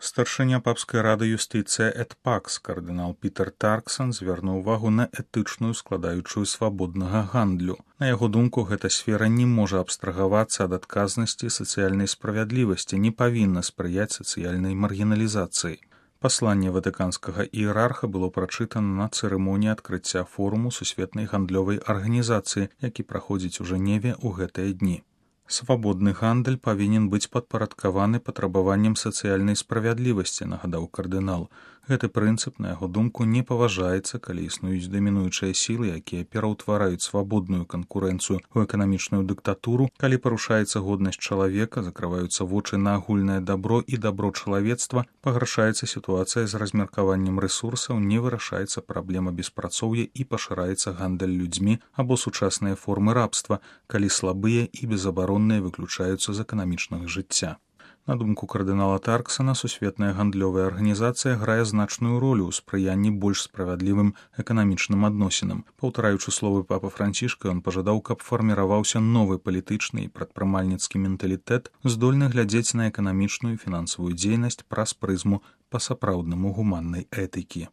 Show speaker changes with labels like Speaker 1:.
Speaker 1: Старшыня папскай рады юстыцыя эт пакс кардынал Пітер Тарксан звярнуў увагу на этычную складаючую свабоднага гандлю. На яго думку, гэта сфера не можа абстрагавацца ад адказнасці сацыяльнай справядлівасці, не павінна спрыяць сацыяльнай маргіналізацыі. Пасланне ватыканскага іерарха было прачытана на цырымоніі адкрыцця форуму сусветнай гандлёвай арганізацыі, які праходзіць у Жэневе ў гэтыя дні. Свабодны гандаль павінен быць падпарадкаваны патрабаванням сацыяльнай справядлівасці, нагадаў кардынал. Гэты прынцып, на яго думку, не паважаецца, калі існуюць дамінуючыя сілы, якія пераўтвараюць свабодную канкурэнцыю ў эканамічную дыктатуру, калі парушаецца годнасць чалавека, закрываюцца вочы на агульнае дабро і дабро чалавецтва, пагаршаецца сітуацыя з размеркаваннем рэсурсаў, не вырашаецца праблема беспрацоўя і пашыраецца гандаль людзьмі або сучасныя формы рабства, калі слабыя і безабаронныя выключаюцца з эканамічнага жыцця. На думку кардынала Тарксана, сусветная гандлёвая арганізацыя грае значную ролю ў спрыянні больш справядлівым эканамічным адносінам. Паўтараючы словы папы Францішка, ён пажадаў, каб фарміраваўся новы палітычны і прадпрымальніцкі менталітэт, здольны глядзець на эканамічную і фінансавую дзейнасць праз прызму па-сапраўднаму гуманнай этыкі.